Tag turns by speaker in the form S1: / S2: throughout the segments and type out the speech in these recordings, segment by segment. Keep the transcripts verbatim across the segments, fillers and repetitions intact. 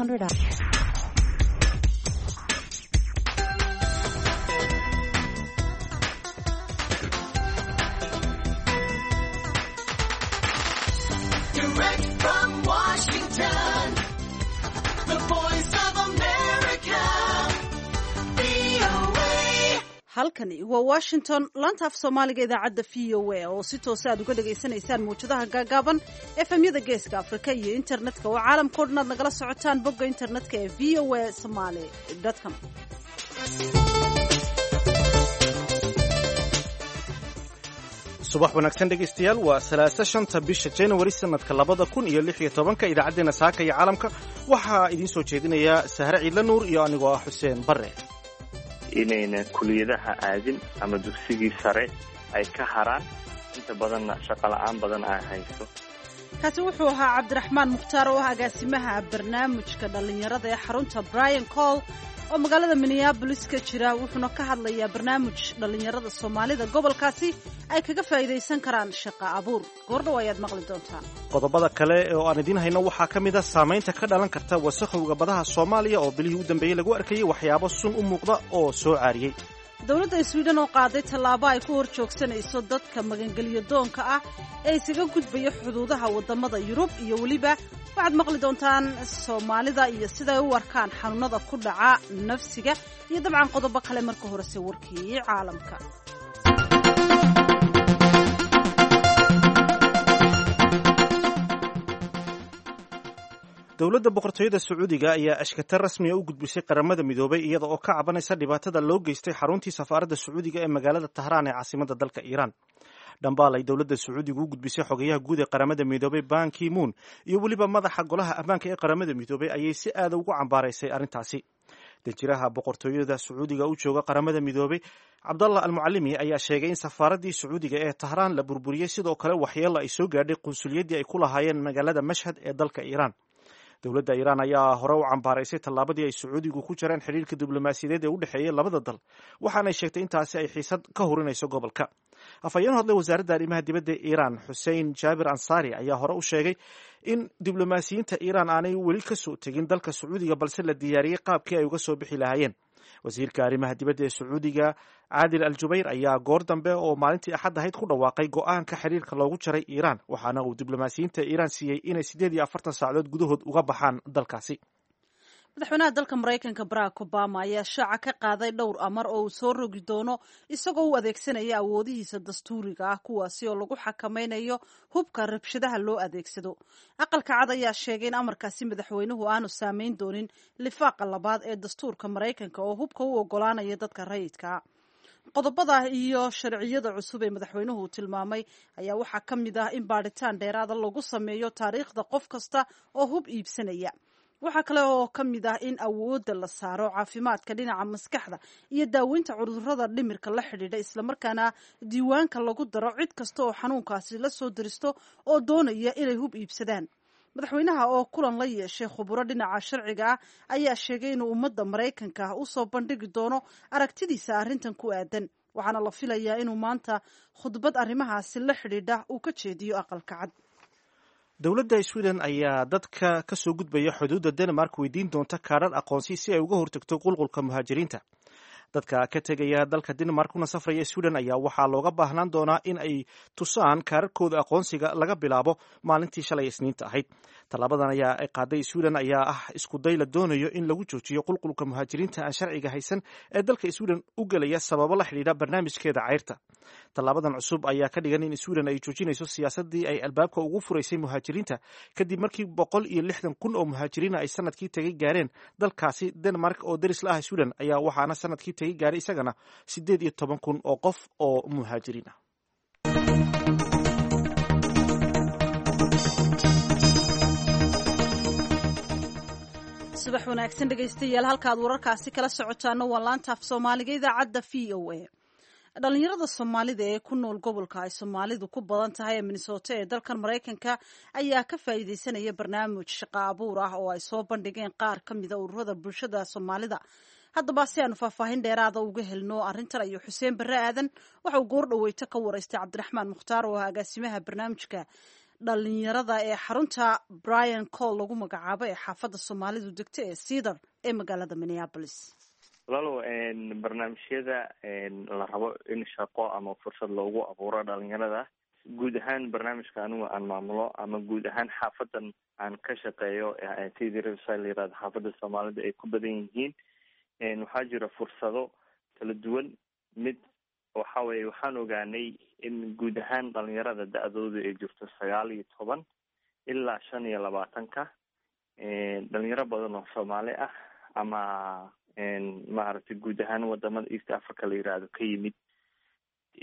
S1: hundred.
S2: Direct from Washington, the voice of America, V O A.
S3: Halkani waa Washington, laanta af Soomaaliga idaacadda V O A oo si toosa aad uga dhagaysanaysaan mawjadaha gaagaaban, F M-yada Geeska Afrika iyo internetka oo caalamkao dhan aad nagala socotaan bogga internetka ee V O A Somaly com.
S4: Subax wanaagsan, dhegaystayaal. Waa salaasa, shanta bisha January, sanadka labada kun iyo lix iyo tobanka. Idaacaddeenna saaka iyo caalamka waxaa idiin soo jeedinaya Sahre Ciidla Nuur iyo anigoo ah Xuseen Barre.
S5: Inayna kuliyadaha aadin ama dugsigii sare ay ka haraan, inta badanna shaqo la'aan badan ay hayso.
S3: Kaasi wuxuu ahaa Cabdiraxmaan Mukhtaar oo ah agaasimaha barnaamijka dhallinyarada ee xarunta Brian Coyle oo magaalada Minneapolis ka jira, wuxuuna ka hadlayaa barnaamij dhallinyarada Soomaalida gobolkaasi ay kaga faa'iidaysan karaan shaqa abuur. Goordhow ayaad maqli doontaan.
S4: Qodobada kale oo aan idiin hayno waxaa ka mid ah saamaynta ka dhalan karta wasakhowga badaha Soomaaliya oo bilihii u dambeeyey lagu arkayay waxyaabo sun u muuqda oo soo caariyey.
S3: Dowladda Sweden oo qaaday tallaabo ay ku hor joogsanayso dadka magangelyo doonka ah ee isaga gudbaya xuduudaha waddamada Yurub, iyo weliba waxaad maqli doontaan Soomaalida iyo siday u arkaan xanuunada ku dhaca nafsiga, iyo dabcan qodobo kale. Marka horese warkii caalamka.
S4: Dowladda Boqortooyada Sacuudiga ayaa ashkata rasmiga u gudbisay Qaramada Midoobay, iyada oo ka cabanaysa dhibaatada loo geystay xaruntii safaaradda Sacuudiga ee magaalada Tahraan ee caasimadda dalka Iiraan. Dhambaal ay dowladda Sacuudiga u gudbisay xogayaha guud ee Qaramada Midoobay Ban Ki Moon iyo weliba madaxa Golaha Ammaanka ee Qaramada Midoobay ayay si aada ugu cambaaraysay arrintaasi. Danjiraha Boqortooyada Sacuudiga u jooga Qaramada Midoobay, Cabdallah Almucalimi, ayaa sheegay in safaaraddii Sacuudiga ee Tahraan la burburiyey, sidoo kale waxyeelo ay soo gaadhay qunsuliyaddii ay ku lahaayeen magaalada Mashhad ee dalka Iiraan. Dowladda Iiraan ayaa hore u cambaaraysay tallaabadii ay Sacuudigu ku jareen xidhiirka diblomaasiyadeed ee u dhexeeyay labada dal, waxaanay sheegtay intaasi ay xiisad ka hurinayso gobolka. Afhayeen hadlay wasaaradda arrimaha dibadda ee Iiraan, Xussein Jaabir Ansari, ayaa hore u sheegay in diblomaasiyiinta Iiraan aanay weli ka soo tegin dalka Sacuudiga, balse la diyaariyey qaabkii ay uga soo bixi lahaayeen. Wasiirka arrimaha dibadda ee Sacuudiga, Caadil Al Jubayr, ayaa goor dambe oo maalintii Axad ahayd ku dhawaaqay go'aanka xiriirka loogu jaray Iiraan, waxaana uu diblomaasiyiinta Iiraan siiyey inay siddeed iyo afartan saacadood gudahood uga baxaan dalkaasi.
S3: Madaxweynaha dalka Maraykanka Barack Obama ayaa shaaca ka qaaday dhowr amar oo uu soo rogi doono isagoo u adeegsanaya awoodihiisa dastuuriga ah, kuwaasi oo lagu xakamaynayo hubka rabshadaha loo adeegsado. Aqalka Cad ayaa sheegay in amarkaasi madaxweynuhu aanu saameyn doonin lifaaqa labaad ee dastuurka Maraykanka oo hubka u ogolaanaya dadka rayidka. Qodobada iyo sharciyada cusub ee madaxweynuhu tilmaamay ayaa waxaa ka mid ah in baadhitaan dheeraada lagu sameeyo taariikhda qof kasta oo hub iibsanaya. Waxaa kale oo ka mid ah in awoodda la saaro caafimaadka dhinaca maskaxda iyo daaweynta cudurrada dhimirka la xidhiidha, islamarkaana diiwaanka lagu daro cid kasta oo xanuunkaasi la soo diristo oo doonaya inay hub iibsadaan. Madaxweynaha oo kulan la yeeshay khuburo dhinaca sharciga ah ayaa sheegay inuu ummadda Maraykanka ah usoo bandhigi doono aragtidiisa arrintan ku aadan, waxaana la filayaa inuu maanta khudbad arrimahaasi la xidhiidha uu ka jeediyo Aqalka Cad.
S4: Dowladda Sweden ayaa dadka ka soo gudbaya xuduudda Denmark weydiin doonta kaadhar aqoonsi si ay uga hortagto qulqulka muhaajiriinta. Dadka ka tegaya dalka Denmark kuna safraya Sweden ayaa waxaa looga baahnaan doonaa in ay tusaan kaararkooda aqoonsiga laga bilaabo maalintii shalay Isniinta ahayd. Tallaabadan ayaa ay qaaday Sweden ayaa ah iskuday la doonayo in lagu joojiyo qulqulka muhaajiriinta aan sharciga haysan ee dalka Sweden u gelaya sababo la xidhiidha barnaamijkeeda cayrta. Tallaabadan cusub ayaa ka dhigan in Sweden ay joojinayso siyaasadii ay albaabka ugu furaysay muhaajiriinta, kadib markii boqol iyo lixdan kun oo muhaajiriina ay sanadkii tegay gaareen dalkaasi Denmark oo deris la ah Sweden, ayaa waxaana sanadkii tegay gaaray isagana siddeed iyo toban kun oo qof oo muhaajiriin ah.
S3: Subax wanaagsan, dhegaystayaal. Halkaad wararkaasi kala socotaana waa laanta af Soomaaliga idaacadda V O A. Dhalinyarada Soomaalida ee ku nool gobolka ay Soomaalidu ku badan tahay ee Minnesota ee dalkan Maraykanka ayaa ka faa'iidaysanaya barnaamij shaqo abuur ah oo ay soo bandhigeen qaar ka mida ururada bulshada Soomaalida. Haddaba, si aanu faahfaahin dheeraada uga helno arrintan, ayuu Xuseen Barre Aadan waxa uu goor dhaweyto ka waraystay Cabdiraxmaan Mukhtaar oo ah agaasimaha barnaamijka dhalinyarada ee xarunta Brian Cole lagu magacaabo ee xaafadda Soomaalidu degto ee Cedar ee magaalada Minneapolis.
S5: Walaalow, barnaamijyada la rabo in shaqo ama fursad loogu abuuro dhalinyarada guud ahaan, barnaamijka anigu aan maamulo ama guud ahaan xaafadan aan ka shaqeeyo, Cedar Riverside la yirahdo, xaafadda Soomaalida ay ku badan yihiin, waxaa jira fursado kala duwan. Mid waxa weye, waxaan ogaanay in guud ahaan dhalinyarada da-doodu ay jirto sagaal iyo toban ilaa shan iyo labaatanka, dhalinyaro badan oo Soomaali ah ama maaragtay guud ahaan wadamada East Africa la yiraahdo ka yimid,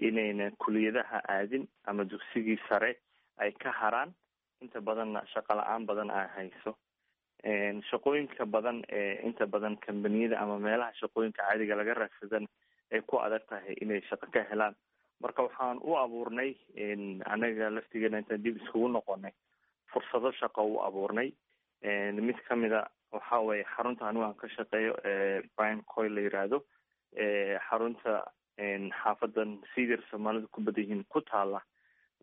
S5: inayna kuliyadaha aadin ama dugsigii sare ay ka haraan, inta badanna shaqo la-aan badan ay hayso. Shaqooyinka badan ee inta badan kambaniyada ama meelaha shaqooyinka caadiga laga raadsadana ay ku adag tahay inay shaqo ka helaan. Marka waxaan u abuurnay anaga laftigeena, intaan dib iskugu noqonay, fursado shaqo u abuurnay. Mid kamida waxa weye xarunta anigu aan ka shaqeeyo ee Brian Coyle la yiraahdo, xarunta xaafadan Cedar Soomaalida ku badan yihiin ku taala,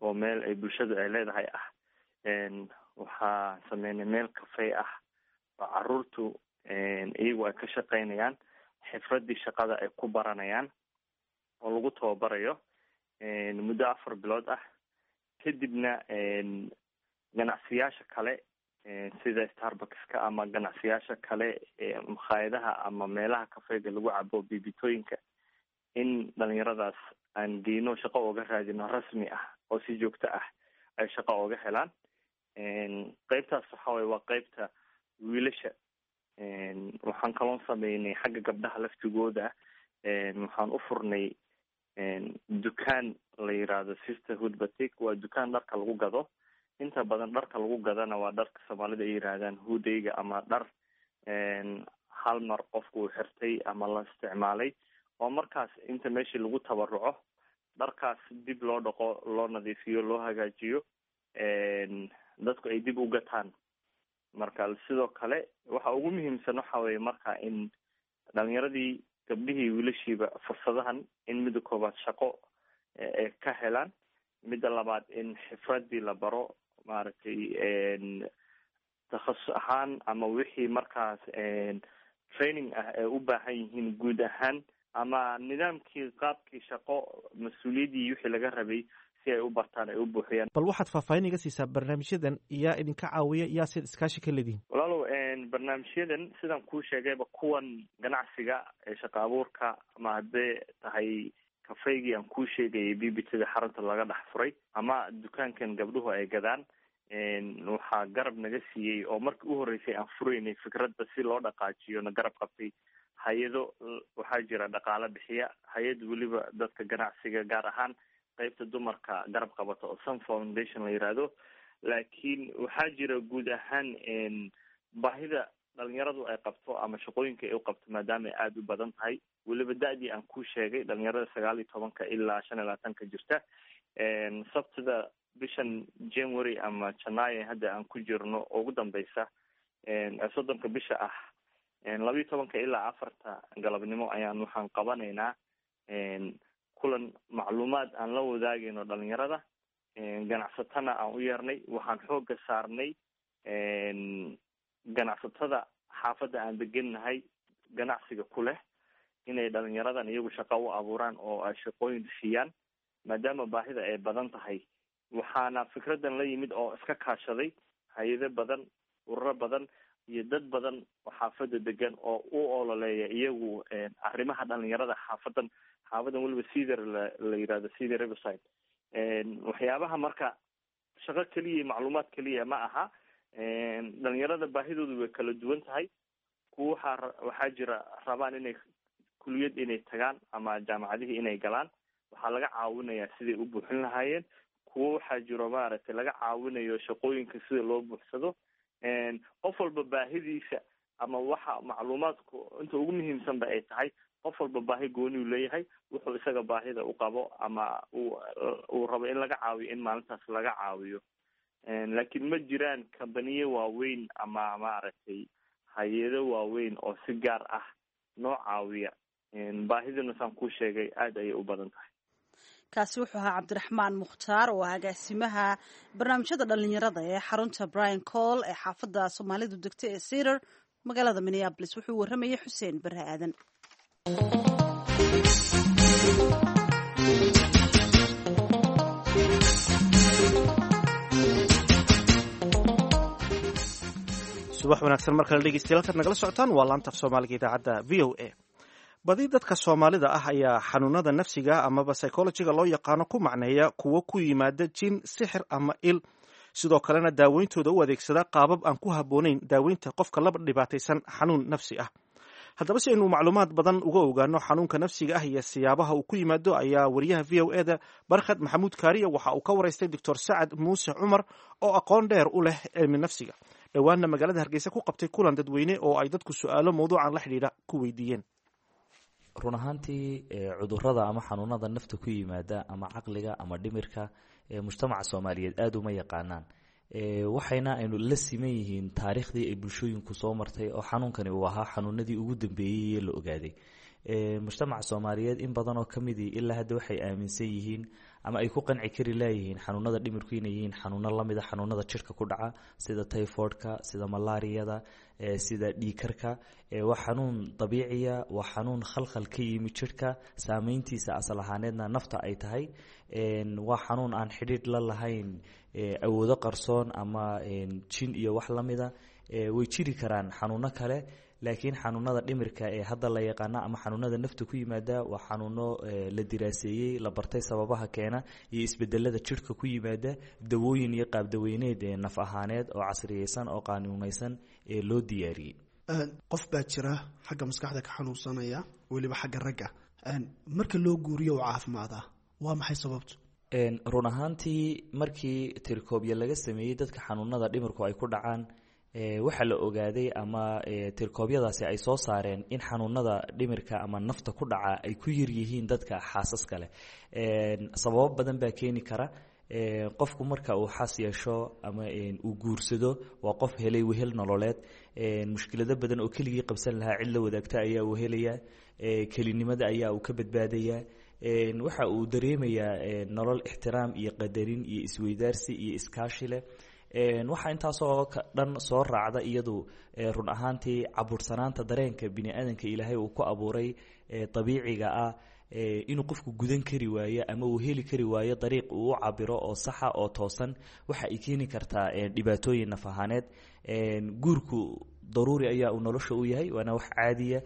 S5: oo meel ay bulshadu ay leedahay ah. Waxaa sameynay meel cafe ah oo caruurtu iyagu ay ka shaqeynayaan, xifradii shaqada ay ku baranayaan oo lagu tababarayo muddo afar bilood ah. Kadibna ganacsiyaasha kale sida Starbuckska ama ganacsiyaasha kale, makhaayadaha ama meelaha kafeega lagu cabo, bibitooyinka, in dhalinyaradaas aan geyno, shaqo ooga raadino rasmi ah oo si joogto ah ay shaqo ooga helaan. Qeybtaas waxa weye waa qeybta wiilasha. Waxaan kaloon sameynay xagga gabdhaha laftigooda. Waxaan u furnay dukaan la yiraahdo Sisterhood Batik. Waa dukaan dharka lagu gado. Inta badan dharka lagu gadana waa dharka Soomaalida ay yiraahdaan hudayga ama dhar hal mar qofku uu xirtay ama la isticmaalay, oo markaas inta meeshii lagu tabaruco dharkaas dib loo dhaqo, loo nadiifiyo, loo hagaajiyo, dadku ay dib u gataan. Marka sidoo kale waxa ugu muhiimsan waxa weye marka in dhalinyaradii, gabdhihii, wiilashiiba, fursadahan in midda koobaad shaqo ay ka helaan, midda labaad in xifradii la baro, maaragtay takhasus ahaan ama wixii markaas training ah ay u baahan yihiin guud ahaan, ama nidaamkii qaabkii shaqo, mas-uuliyaddii wixii laga rabay si ay u bartaan, ay u buuxiyaan.
S4: Bal waxaad faahfaahin iga siisaa barnaamijyadan. Yaa idinka caawiya? Yaa sid iskaashi ka leedihin?
S5: Walaalow, barnaamijyadan sidaan kuu sheegayba, kuwan ganacsiga ee shaqa abuurka ama haddee tahay kafeygii aan kuu sheegayay, bibitada xarunta laga dhex furay, ama dukaankan gabdhuhu ay gadaan, waxaa garab naga siiyey oo markii u horreysay aan furaynay fikradda si loo dhaqaajiyo na garab qabtay hay-ado. Waxaa jira dhaqaale bixiya, hay-ad weliba dadka ganacsiga gaar ahaan qeybta dumarka garab qabata oo Sun Foundation la yiraahdo. Laakiin waxaa jira guud ahaan baahida dhalinyaradu ay qabto ama shaqooyinka ay u qabto, maadaama ay aada u badan tahay, weliba da-dii aan kuu sheegay, dhalinyarada sagaal iyo tobanka ilaa shan iyo labaatanka jirta. Sabtida bishan January ama Janaayo hadda aan ku jirno ugu dambeysa, soddonka bisha ah, labiyo tobanka ilaa afarta galabnimo ayaan waxaan qabanaynaa kulan macluumaad aan la wadaagayno dhalinyarada, ganacsatana aan u yeernay. Waxaan xooga saarnay ganacsatada xaafadda aan degennahay ganacsiga ku leh inay dhalinyaradan iyagu shaqo u abuuraan oo ay shaqooyin siiyaan, maadaama baahida ay badan tahay. Waxaana fikraddan la yimid oo iska kaashaday hay-ado badan, ururo badan iyo dad badan oo xaafadda degan oo u ololeeya iyagu arrimaha dhalinyarada xaafadan xaafadan weliba Cedar la la yirahdo, Cedar Riverside. Waxyaabaha marka shaqo keliya, macluumaad keliya ma aha. Dhalinyarada baahidoodu way kala duwan tahay. Kuwa waxaa waxaa jira rabaan inay kuliyad inay tagaan ama jaamacadihii inay galaan, waxaa laga caawinayaa siday u buuxin lahaayeen. Kuwo waxaa jiro maaragtay laga caawinayo shaqooyinka sida loo buuxsado. Qof walba baahidiisa ama waxa macluumaadku inta ugu muhiimsanba ay tahay, qof walba baahi gooniu leeyahay, wuxuu isaga baahida u qabo ama uu uu rabo in laga caawiyo, in maalintaas laga caawiyo. Laakiin ma jiraan kambaniyo waaweyn ama maaragtay hay-ado waaweyn oo si gaar ah noo caawiya. Baahiduna saan kuu sheegay aada ayay u badan tahay.
S3: Kaasi wuxuu ahaa Cabdiraxmaan Mukhtaar oo ah agaasimaha barnaamijyada dhalinyarada ee xarunta Brian Coyle ee xaafadda Soomaalidu degta ee Cedar, magaalada Minneapolis. Wuxuu warramayay Xuseen Bare Aadan.
S4: Subax wanaagsan mar kale dhegeystayaal, halkaad nagala socotaan waa laanta af Soomaaliga idaacadda V O A. Badi dadka Soomaalida ah ayaa xanuunada nafsiga amaba psychologiga loo yaqaano ku macneeya kuwo ku yimaada jin, sixir ama il, sidoo kalena daaweyntooda u adeegsada qaabab aan ku habboonayn daaweynta qofka laba dhibaataysan xanuun nafsi ah. Haddaba, si aynu macluumaad badan uga ogaano xanuunka nafsiga ah iyo siyaabaha uu ku yimaado, ayaa wariyaha V O E da Barkhad Maxamuud Kaariya waxa uu ka waraystay Doctor Sacad Muuse Cumar oo aqoon dheer u leh cilmi nafsiga, dhowaanna magaalada Hargeysa ku qabtay kulan dadweyne oo ay dadku su-aalo mawduucan la xidhiidha ku weydiiyeen.
S1: Run ahaantii, cudurada ama xanuunada nafta ku yimaada ama caqliga ama dhimirka, mujtamaca Soomaaliyeed aada uma yaqaanaan, waxayna aynu la siman yihiin taariikhdii ay bulshooyinku soo martay oo xanuunkani uu ahaa xanuunadii ugu dambeeyey ee la ogaaday. Mujtamaca Soomaaliyeed in badan oo kamidii ilaa hadda waxay aaminsan yihiin ama ay ku qanci kari laayihiin xanuunada dhimirku inay yihiin xanuuno lamida xanuunada jirka ku dhaca, sida typhoidka, sida malaariyada, sida dhiigkarka. Waa xanuun dabiiciya, waa xanuun khalkhal ka yimi jirka, saameyntiisa asal ahaaneedna nafta ay tahay. Waa xanuun aan xidhiidh la lahayn awoodo qarsoon ama jin iyo wax lamida. Way jiri karaan xanuuno kale, laakiin xanuunada dhimirka ee hadda la yaqaana ama xanuunada nafta ku yimaada waa xanuuno la diraaseeyey, la bartay sababaha keena iyo isbedelada jirhka ku yimaada, dawooyin iyo qaabdaweyneed ee naf ahaaneed oo casriyeysan oo qaanuunaysan ee loo diyaariyey.
S6: Qof baa jira xagga maskaxda ka xanuunsanaya, weliba xagga ragga. Marka loo guuriyo u caafimaadaa, waa maxay sababtu?
S1: Run ahaantii, markii tirkoobya laga sameeyey dadka xanuunada dhimirku ay ku dhacaan, waxaa la ogaaday ama tirkoobyadaasi ay soo saareen in xanuunada dhimirka ama nafta ku dhaca ay ku yar yihiin dadka xaasaska leh. Sababo badan baa keeni kara. Qofku marka uu xaas yeesho ama uu guursado, waa qof helay wehel nololeed. Mushkilado badan oo keligii qabsan lahaa cid la wadaagta ayaa uu helaya, kelinimada ayaa uu ka badbaadayaa, waxa uu dareemayaa nolol ixtiraam iyo qadarin iyo isweydaarsi iyo iskaashi leh. Waxaa intaasoo dhan soo raacda iyadu run ahaantii cabuursanaanta dareenka bini aadanka Ilaahay uu ku abuuray dabiiciga ah, inuu qofku gudan kari waayo ama uu heli kari waayo dariiq uu u cabiro oo saxa oo toosan, waxa ay keeni kartaa dhibaatooyin naf ahaaneed. Guurku daruuri ayaa uu nolosha u yahay, waana wax caadiya.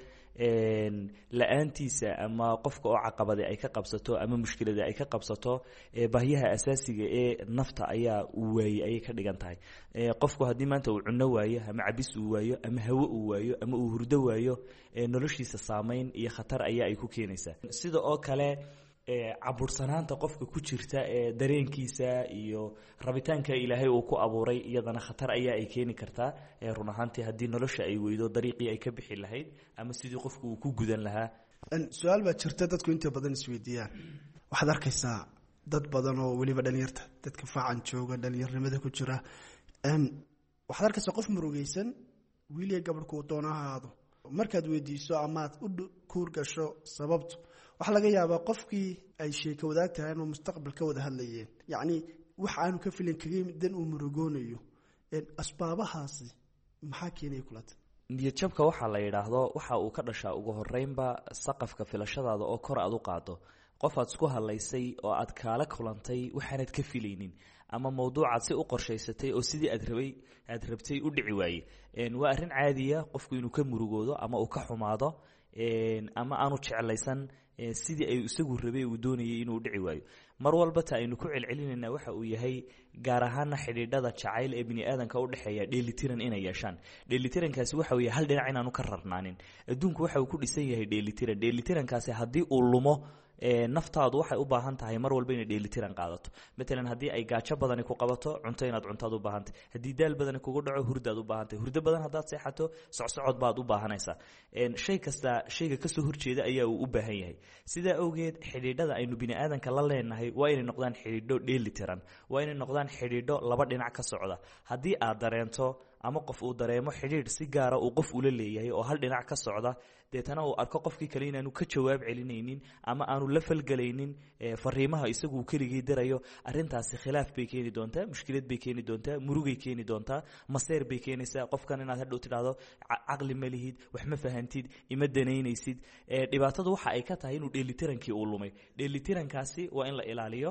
S1: La-aantiisa ama qofka oo caqabade ay ka qabsato ama mushkilada ay ka qabsato, baahyaha asaasiga ee nafta ayaa uu waayey ayay ka dhigan tahay. Qofku haddii maanta uu cunno waayo ama cabis uu waayo ama hawo uu waayo ama uu hurdo waayo, noloshiisa saameyn iyo khatar ayaa ay ku keenaysaa. Sida oo kale, cabursanaanta qofka ku jirta ee dareenkiisa iyo rabitaanka Ilaahay uu ku abuuray, iyadana khatar ayaa ay keeni kartaa run ahaantii, haddii nolosha ay weydo dariiqii ay ka bixi lahayd ama sidii qofku uu ku gudan lahaa.
S6: Su-aal baa jirta dadku inta badan isweydiiyaan. Waxaad arkaysaa dad badan oo weliba dhalinyarta, dadka faacan jooga, dhalinyarnimada ku jira, waxaad arkaysaa qof murugeysan, wiiliya gabadhku doona ha ahaado. Markaad weydiiso amaad u kuur gasho sababtu, waxaa laga yaabaa qofkii ay sheeko wadaag tahay inuu mustaqbal ka wada hadlayeen, yacni wax aanu ka filin kaga yimid dan uu murugoonayo. Asbaabahaasi maxaa keenaya kulata?
S1: Niyadjabka waxaa la yidhaahdo waxa uu ka dhashaa ugu horeynba saqafka filashadaada oo kor aad u qaado. Qof aad isku hadlaysay oo aad kaala kulantay waxaanad ka filaynin, ama mawduucaad si u qorshaysatay oo sidii aad rabay aad rabtay u dhici waaye, waa arrin caadiya qofku inuu ka murugoodo ama uu ka xumaado ama aanu jeclaysan sidii ay isagu rabay uu doonayay inuu dhici waayo. Mar walba ta aynu ku celcelinayna waxa uu yahay, gaar ahaana xidhiidhada jacayl ee bini aadanka u dhexeeya, dheelitiran inay yeeshaan. Dheelitirankaasi waxa uu yahay hal dhinac inaanu ka rarnaanin. Adduunku waxa uu ku dhisan yahay dheelitiran. Dheelitirankaasi haddii uu lumo, naftaadu waxay u baahan tahay mar walba inay dheelitiran qaadato. Matalan, haddii ay gaajo badani ku qabato, cunto inaad cuntaad u baahantay. Haddii daal badani kugu dhaco, hurdaad u baahantay. Hurdo badan haddaad seexato, socsocod baad u baahanaysaa. Shay kasta shayga kasoo horjeeda ayaa uu u baahan yahay. Sidaa awgeed, xidhiidhada aynu bini aadanka la leenahay waa inay noqdaan xidhiidho dheelitiran, waa inay noqdaan xidhiidho laba dhinac ka socda. Haddii aad dareento ama qof uu dareemo xidhiidh si gaara uu qof ula leeyahay oo hal dhinac ka socda, deetana uu arko qofkii kale inaanu ka jawaab celinaynin ama aanu la falgelaynin fariimaha isagu uu keligii dirayo, arrintaasi khilaaf bay keeni doontaa, mushkilad bay keeni doontaa, murugay keeni doontaa, maseer bay keenaysaa. Qofkan inaad hadhow tidhaahdo caqli ma lihid, wax ma fahantid, ima danaynaysid. Dhibaatadu waxa ay ka tahay inuu dheelitirankii uu lumay. Dheelitirankaasi waa in la ilaaliyo.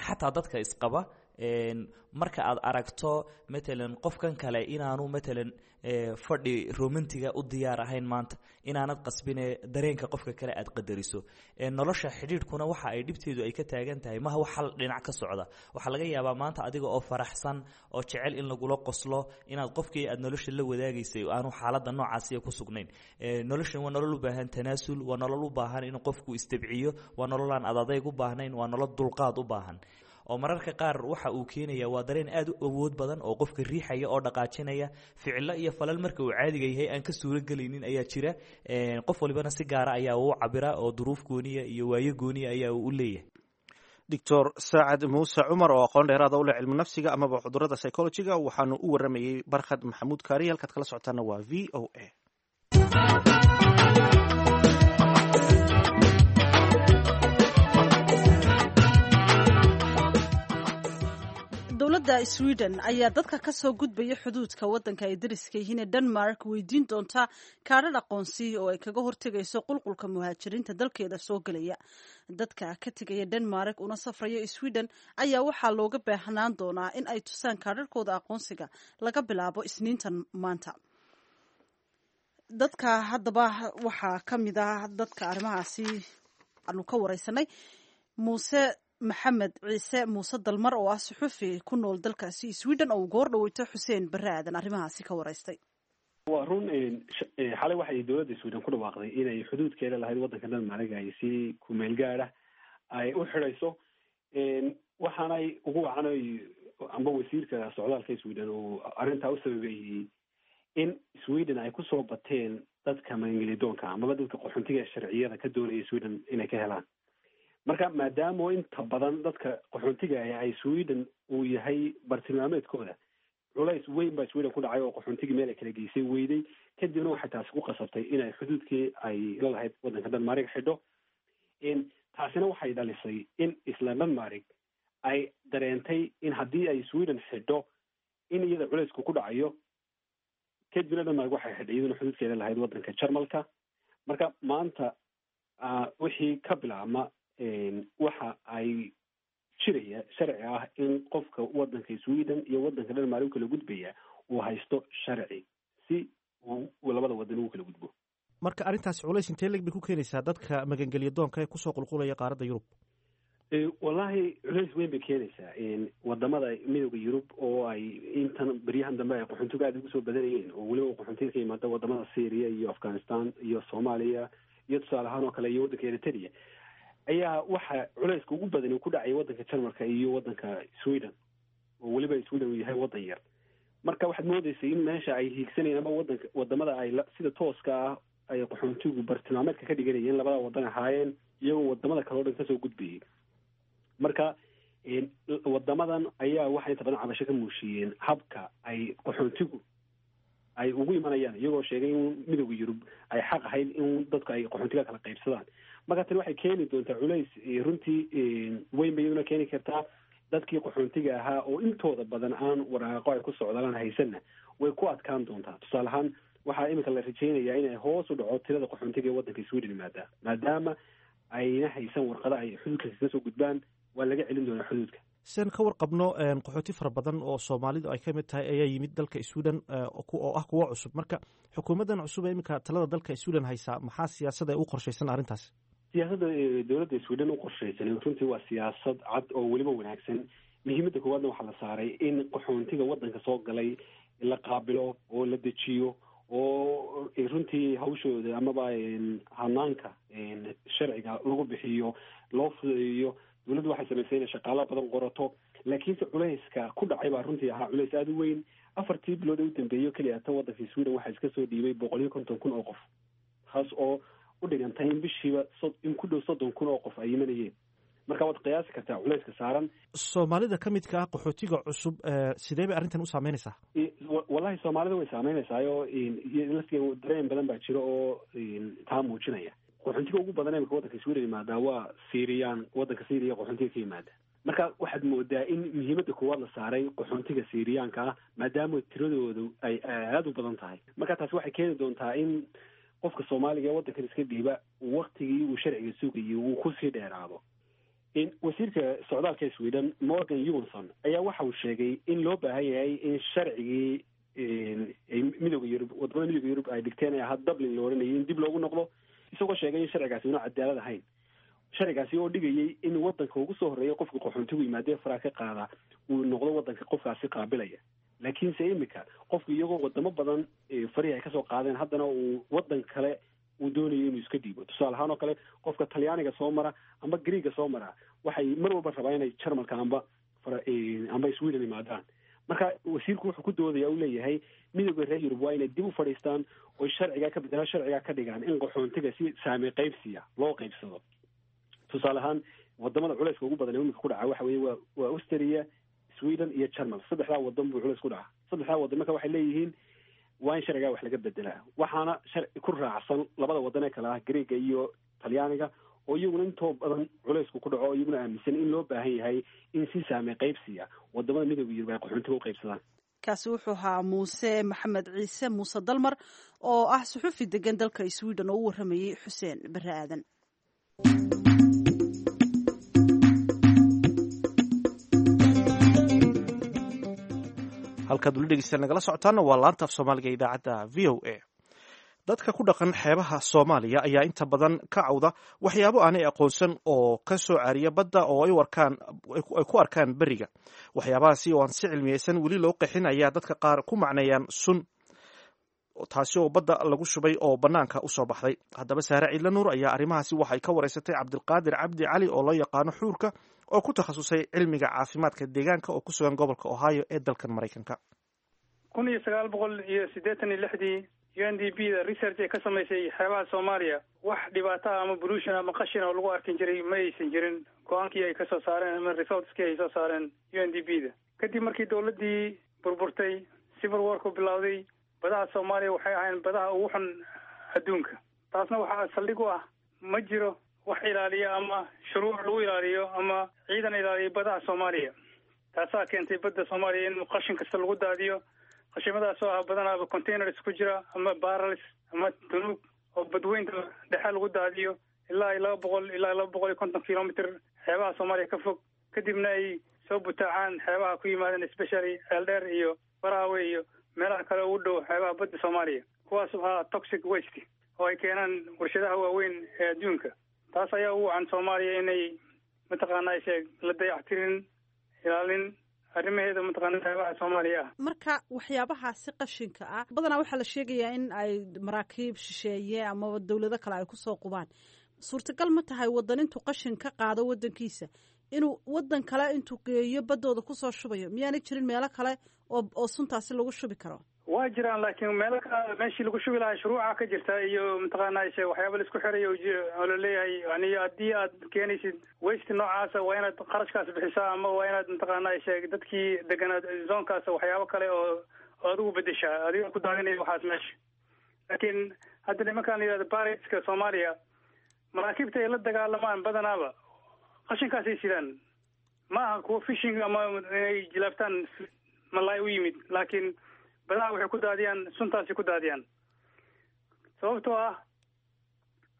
S1: Xataa dadka isqaba, marka aad aragto matalan qofkan kale inaanu matalan fadhi romantiga u diyaar ahayn maanta, inaanad qasbine dareenka qofka kale aad qadariso. Nolosha xidhiidhkuna waxa ay dhibteedu ay ka taagan tahay maha wax hal dhinac ka socda. Waxaa laga yaabaa maanta adiga oo faraxsan oo jecel in lagula qoslo inaad qofkii aad nolosha la wadaagaysay aanu xaaladda noocaasiya ku sugnayn. Noloshan waa nolol u baahan tanaasul, waa nolol u baahan inuu qofku istabciyo, waa nolol aan adadayg u baahnayn, waa nolol dulqaad u baahan. Oo mararka qaar waxa uu keenaya waa dareen aad u awood badan oo qofka riixaya oo dhaqaajinaya ficilo iyo falal marka uu caadiga yahay aan ka suuro gelaynin ayaa jira. Qof walibana si gaara ayaa uu cabira oo duruuf gooniya iyo waayo gooniya ayaa uu u leeyahay.
S4: Doctor Saacad Muuse Cumar oo aqoon dheeraada u leh cilmu nafsiga amaba cudurada psychologiga waxaanu u waramayey Barkhad Maxamuud Kaariye. Halkaad kala socotaana waa V O A.
S3: Dowladda Sweden ayaa dadka ka soo gudbaya xuduudka waddanka ay dariska yihiin ee Denmark weydiin doonta kaadhadh aqoonsi oo ay kaga hortegayso qulqulka muhaajiriinta dalkeeda soo gelaya. Dadka ka tegaya Denmark una safraya Sweden ayaa waxaa looga baahnaan doonaa in ay tusaan kaadharhkooda aqoonsiga laga bilaabo Isniintan maanta. Dadka haddaba waxaa ka mid ah dadka arrimahaasi aanu ka wareysanay Muuse Maxamed Ciise Muuse Dalmar oo ah suxufi ku nool dalkaasi Sweden oo uu goor dhaweyto Xuseen Barre Aadan arrimahaasi ka wareystay.
S7: Waa run, xalay waxay dowladda Sweden ku dhawaaqday inay xuduudkeeda lahayd waddanka Denmark ay si kumeel gaada ay u xidhayso. Waxaanay ugu wacanay amba wasiirka socdaalka Sweden uu arrintaa u sababeeyey in Sweden ay kusoo bateen dadka maangelidoonka amaba dadka qaxoontiga sharciyada ka doonaya Sweden inay ka helaan. Marka maadaama inta badan dadka qaxoontiga ah ay Sweden uu yahay bartilmaameedkooda, culays weyn baa Sweden ku dhacay oo qaxoontigii meel ay kala geysay weyday. Kadibna waxay taasi ku qasabtay inay xuduudkii ay la lahayd waddanka Denmark xidho. Taasina waxay dhalisay in isla Denmark ay dareentay in haddii ay Sweden xidho in iyada culaysku ku dhacayo. Kadibna Denmark waxay xidhay iyaduna xuduudkeeda lahayd waddanka Jarmalka. Marka maanta wixii ka bilaabma waxa ay jiraya sharci ah in qofka waddanka Sweden iyo waddanka Denmark u kala gudbaya uu haysto sharci si uu labada waddan ugu kala gudbo.
S4: Marka arrintaasi culays intee leg bay ku keenaysaa dadka magangelya doonka ee kusoo qulqulaya qaaradda Yurub?
S7: Wallahi culays weyn bay keenaysaa. Wadamada midooda Yurub oo ay intan beryahan dambe ay qaxoontigu aada ugu soo badanayeen, oo weliba qaxoontiga ka yimaada wadamada Syria iyo Afghanistan iyo Soomaaliya iyo tusaale ahaan oo kale iyo waddanka Eritrea, ayaa waxa culayska ugu badan uu ku dhacay waddanka Jarmalka iyo waddanka Sweden, oo weliba Sweden uu yahay waddan yar. Marka waxaad moodeysay in meesha ay hiigsanayeen ama wadanka wadamada ay sida tooska ah ay qaxoontigu bartilmaameedka ka dhiganayeen labada waddan ahaayeen, iyagoo wadamada kale o dhan kasoo gudbayay. Marka wadamadan ayaa waxay inta badan cabasho ka muushiiyeen habka ay qaxoontigu ay ugu imanayaan, iyagoo sheegay in midooda Yurub ay xaq ahayd in dadku ay qaxoontiga kala qaybsadaan. Marka tani waxay keeni doontaa culays runtii weyn bay iyaduna keeni kartaa. Dadkii qaxoontiga ahaa oo intooda badan aan waraaqo ay ku socdaalaan haysanna way ku adkaan doontaa. Tusaale ahaan waxaa iminka la rajeynayaa inay hoos u dhaco tirada qaxoontiga ee waddanka Sweden yimaada, maadaama ayna haysan warqada ay xuduudka kaga soo gudbaan. Waa laga celin doonaa xuduudka.
S4: Sian ka warqabno qaxooti fara badan oo soomaalidu ay ka mid tahay ayaa yimid dalka Sweden oo ah kuwo cusub. Marka xukuumaddan cusub ee iminka talada dalka Sweden haysaa maxaa siyaasada u qorshaysan arrintaas?
S7: Siyaasadda dowladda Sweden u qorshaysan runtii waa siyaasad cad oo weliba wanaagsan. Muhiimadda koowaadna waxaa la saaray in qaxoontiga waddanka soo galay la qaabilo oo la dejiyo oo runtii hawshooda amaba hanaanka sharciga lagu bixiyo loo fududeeyo. Dowladdu waxay samaysay inay shaqaalo badan qorato, laakiinse culayska ku dhacay baa runtii ahaa culays aada u weyn. Afartii bilood ee u dambeeyo keliya ta waddanka Sweden waxaa iska soo dhiibay boqol iyo konton kun oo qof, taas oo u dhigantay in bishiiba in ku dhow soddon kun oo qof ay imanayeen. Marka waad qiyaasi kartaa culayska saaran.
S4: Soomaalida ka midka ah qaxootiga cusub, sidee bay arrintan u saameynaysaa?
S7: Wallahi soomaalida way saameynaysaayoo laftigeeda dareen badan baa jira oo taa muujinaya. Qaxoontiga ugu badan imika waddanka Sweden yimaadaa waa Syrian, waddanka Syriya qaxoontiga ka yimaada. Marka waxaad moodaa in muhiimadda koowaad la saaray qaxoontiga Syriyaanka ah, maadaama tiradoodu ay aada u badan tahay. Marka taasi waxay keeni doontaa in qofka soomaaliga ee waddankan iska dhiiba waktigii uu sharciga sugayay uu kusii dheeraado. Wasiirka socdaalka Sweden Morgan Johansson ayaa waxa uu sheegay in loo baahan yahay in sharcigii midooda Yurub, wadamada midooda Yurub ay dhigteen ee ahaa Dublin la odhanayay, in dib loogu noqdo, isagoo sheegay in sharcigaasi una cadaalad ahayn. Sharcigaasi oo dhigayay in wadanka ugu soo horreeya qofka qaxoontigu yimaadee faraa ka qaada uu noqdo wadanka qofkaasi qaabilaya, laakiinse imika qofku iyagoo wadamo badan farihii ay kasoo qaadeen haddana uu wadan kale uu doonayo inuu iska dhiibo. Tusaale ahaan oo kale, qofka Talyaaniga soo mara amba Greega soo mara waxay mar walba rabaa inay Jarmalka amba amba Sweden yimaadaan. Marka wasiirku wuxuu ku doodaya uu leeyahay midooda reer Yurub waa inay dib u fadhiistaan oy sharcigaa ka bedelaan, sharcigaa ka dhigaan in qaxoontiga si saame qaybsiya loo qaybsado. Tusaale ahaan, wadamada culayska ugu badan ee imika ku dhaca waxa weeye waa waa Austria, Sweden iyo Jarmal. Saddexdaa wadan buu culays ku dhaca. Saddexdaa wadan marka waxay leeyihiin waa in sharcigaa wax laga bedelaa, waxaana sharci ku raacsan labada wadan ee kale ah Greega iyo Talyaaniga oo iyaguna intoo badan culaysku ku dhaco, iyaguna aaminsan in loo baahan yahay in si saame qaybsiya wadamada midooda Yurub ay qaxoontiga u qaybsadaan.
S3: Kaasi wuxuu ahaa Muuse Maxamed Ciise Muuse Dalmar oo ah suxufi degan dalka Sweden oo u waramayey Xuseen Bare Aadan.
S4: Halkaad weli dhegeystayaal nagala socotaana waa laanta af Soomaaliga ee idaacadda V O A. Dadka ku dhaqan xeebaha Soomaaliya ayaa inta badan ka cawda waxyaabo aanay aqoonsan oo ka soo caariya badda oo ay arkaan ay ku arkaan beriga. Waxyaabahaasi oo aan si cilmiyeysan weli loo qeexin ayaa dadka qaar ku macneeyaan sun, taasi oo badda lagu shubay oo bannaanka usoo baxday. Haddaba Saare Ciidla Nuur ayaa arrimahaasi waxay ka wareysatay Cabdilqaadir Cabdi Cali oo loo yaqaano Xuurka, oo ku takhasusay cilmiga caafimaadka deegaanka oo ku sugan gobolka Ohio ee dalkan Maraykanka.
S8: Kun iyo sagaal boqol iyo siddeetan iyo lixdii U N D P da research ay ka samaysay xeebaha Soomaaliya, wax dhibaato ah ama pollution ama qashin oo lagu arkin jiray ma aysan jirin. Go-aankii ay kasoo saareen ama resultskii ay soo saareen U N D P da, kadib markii dowladdii burburtay, civil warku bilowday, badaha Soomaaliya waxay ahayn badaha ugu xun adduunka. Taasna waxaa saldhig u ah ma jiro wax ilaaliya ama shuruuc lagu ilaaliyo ama ciidan ilaaliya badaha Soomaaliya. Taasaa keentay badda Soomaaliya in qashin kasta lagu daadiyo, qashimadaas oo ah badanaaba containers ku jira ama barrels ama tunuug oo badweynta dhexe lagu daadiyo ilaa iyo laba boqol ilaa laba boqol iyo konton kilomitr xeebaha Soomaaliya ka fog, kadibna ay soo butaacaan xeebaha ku yimaadeen, especially Ceeldheer iyo Baraawe iyo meelaha kale ugu dhow xeebaha badda Soomaaliya, kuwaas oo ahaa toxic waste oo ay keenaan warshadaha waaweyn ee adduunka. Taas ayaa ugu wacan Soomaaliya inay mataqaana sheeg la dayactirin ilaalin arrimaheeda mataqaana xeebaha Soomaaliya ah.
S3: Marka waxyaabahaasi qashinka ah badanaa waxaa la sheegayaa in ay maraakiib shisheeye amaba dowlado kale ay kusoo qubaan. Suurtagal ma tahay wadan intuu qashin ka qaado wadankiisa inuu wadan kale intuu geeyo baddooda kusoo shubayo? Miyaanay jirin meelo kale oo oo suntaasi lagu shubi karo?
S8: Waa jiraan, laakiin meelo kale meeshii lagu shubi lahaa shuruuca ka jirta iyo mataqaana she waxyaaba la isku xirayo oo laleeyahay, yani haddii aad keenaysid waste noocaasa waa inaad qarashkaas bixisaa ama waa inaad mataqaana sheeg dadkii deganaad zonekaas waxyaabo kale oo oo adigu bedeshaa adiga ku daadinaya waxaas meesha. Laakiin hadda nimankaan la yihahdo pirateska Soomaaliya, maraakiibta ay la dagaalamaan badanaaba qashinkaasay sidaan. Ma aha kuwa fishing ama inay jilaabtaan malaay u yimid, laakiin badaha waxay ku daadiyaan suntaasay ku daadiyaan, sababtoo ah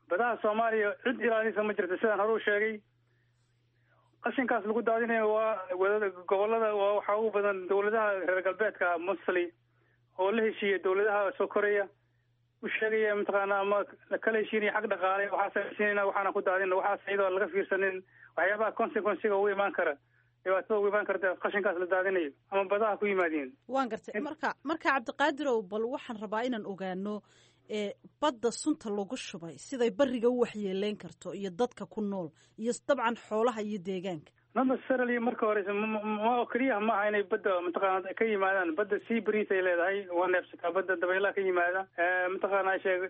S8: badaha Soomaaliya cid ilaalisa ma jirto. Sidaan hore u sheegay, qashinkaas lagu daadinayo waa wada gobolada, waa waxaa ugu badan dowladaha reer galbeedka mostly oo la heshiiya dowladaha soo koraya, u sheegaya mataqaana ama kala heshiinaya xag dhaqaale, waxaasa heshiinayna waxaana ku daadina waxaas, iyadoo laga fiirsanin waxyaabaha consequencega ugu imaan kara, dhibaatada ugu imaan karta qashinkaas la daadinayo ama badaha ku yimaadeen.
S3: Waan gartay. Marka marka Cabdiqaadirow, bal waxaan rabaa inaan ogaano ee badda sunta lagu shubay siday bariga u waxyeeleyn karto iyo dadka ku nool iyo dabcan xoolaha iyo deegaanka.
S8: Not necessarily marka horeyse ma oo keliya maaha inay badda mataqaana ka yimaadaan. Badda sea breeze ay leedahay, waa neefsataa badda, dabaylaha ka yimaada mataqaana sheeg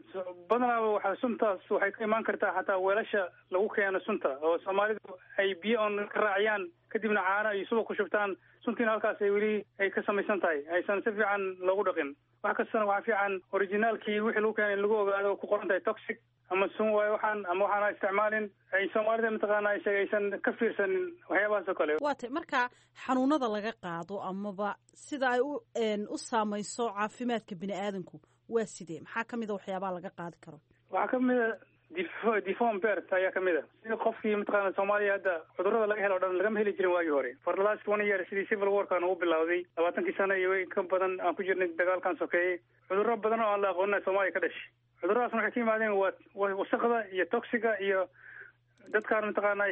S8: badanaaba waxa suntaas waxay ka imaan kartaa xataa weelasha lagu keeno sunta oo soomaalidu ay biyo on ka raaciyaan, kadibna caano iyo subag ku shubtaan, suntiina halkaas ay weli ay ka samaysan tahay, aysan si fiican loogu dhaqin. Wax kastana waxaa fiican originaalkii wixii lagu keenay in lagu ogaado ku qoran tahay toxic ama sun waayo waxaan ama waxaana isticmaalin, ay soomaalida mataqaana ay sheeg aysan ka fiirsanin waxyaabahaas oo kale.
S3: Waa tay marka xanuunada laga qaado amaba sida ay u u saamayso caafimaadka bini aadanku waa sidee? Maxaa kamid a waxyaabaha laga qaadi karo?
S8: Waxaa kamid a deformed birth ayaa kamid a, sida qofkii mataqaana Soomaaliya hadda cudurrada laga helo o dhan lagama heli jirin waagii hore. For the last one year sidii civil warkan ugu bilowday, labaatankii sano iyo ka badan aan ku jirnay dagaalkan sokeeyey, cudurro badan oo aan la aqoonina Soomaaliya ka dhashay. Cudurradaasna waxay ka yimaadeen waa wasaqda iyo toxiga iyo dadkaan mataqaana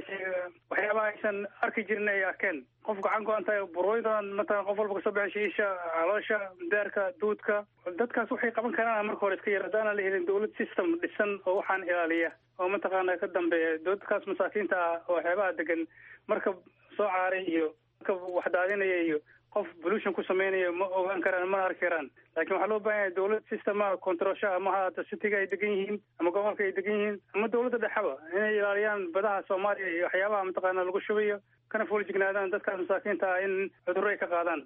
S8: waxyaabaha aysan arki jirin ay arkeen. Qof gacan go-an tahay, burooydan mataqana qof walba kasoo baxay, isha, caloosha, daarka, duudka. Dadkaas waxay qaban karaan marka hore iska yar haddaana la helin dawlad system dhisan oo waxaan ilaaliya oo mataqaana ka dambeeya dadkaas masaakiinta ah oo waxyaabaha degan marka soo caaray iyo marka wax daadinaya iyo qof pollution ku sameynaya ma ogaan karaan, mana arki karaan. Laakiin waxaa loo baahan yahay dawlad systema controlsha ama haata cityga ay degan yihiin ama gobolka ay degan yihiin ama dawladda dhexaba inay ilaaliyaan badaha Soomaaliya iyo waxyaabaha mataqaana lagu shubayo, kana foolajignaadaan dadkaas masaakiinta ah in cudurro ay ka qaadaan.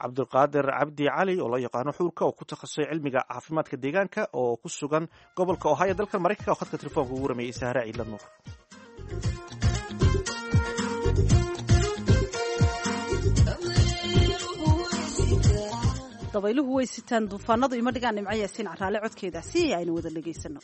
S4: Cabdulqaadir Cabdi Cali oo loo yaqaano Xuurka oo ku takhasusay cilmiga caafimaadka deegaanka oo ku sugan gobolka Ohio dalkan Maraykanka oo khadka telefoonka ugu waramayay Sahra Ciidla Nuur.
S3: Dabayluhu way sitaan duufaanadu ima dhigaan. Nimco Yaasiin Caraale codkeeda si aynu wada dhegaysano.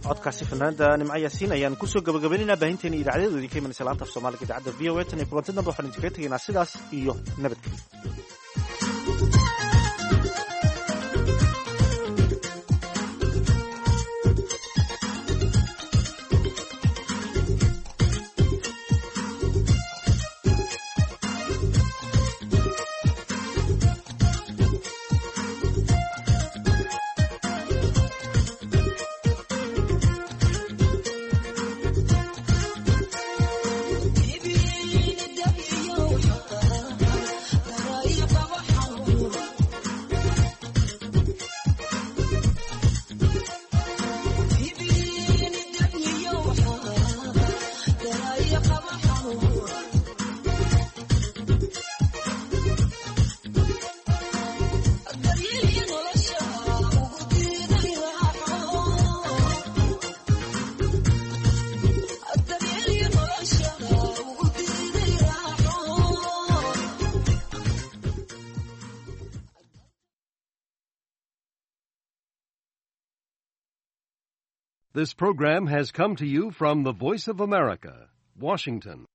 S4: Codkaasi fanaanada Nimco Yaasiin ayaan kusoo gabagabaynaynaa baahinteena idaacadeedu idinka imanaysa laanta af Soomaaliga idaacadda V O A. Tan iyo kulanti dambe waxaan idinkaga tegaynaa sidaas iyo nabadgelyo.
S2: Bye.
S9: This program has come to you from the Voice of America, Washington.